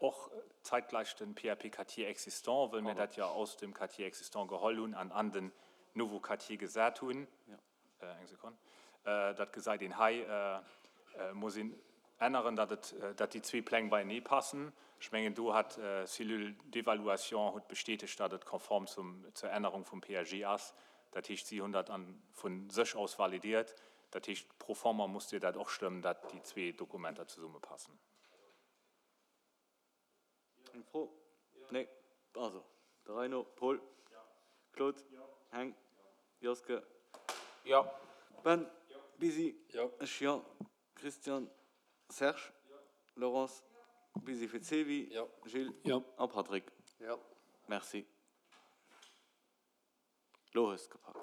Och zeitgleich den PAP Quartier existant, wëll mir dat jo aus dem Quartier existant geholl hunn an an den nouveau Quartier gesat hunn. Eng Sekonn. Dat gesäit een hei. Muss een änneren, datt et, datt déi zwee Pläng beienee passen. Ech mengen, do hat d'Cellule d'évaluation huet bestätegt, datt et konform zum, zur Ännerung vum PAG ass. Dat heescht, si hunn dat an, vu sech aus validiert. Dat heescht, pro forma musst Dir dat och stëmmen, datt déi zwee Dokumenter zesummepassen. Eng Fro? Nee. Also, de Reino, Paul, Claude, Heng, Joske, Ben, Bisi, ech, jo, Christian, Serge, Laurence, Bisi fir d'Sevi, Gilles a Patrick. Merci. Lo hues de gepackt.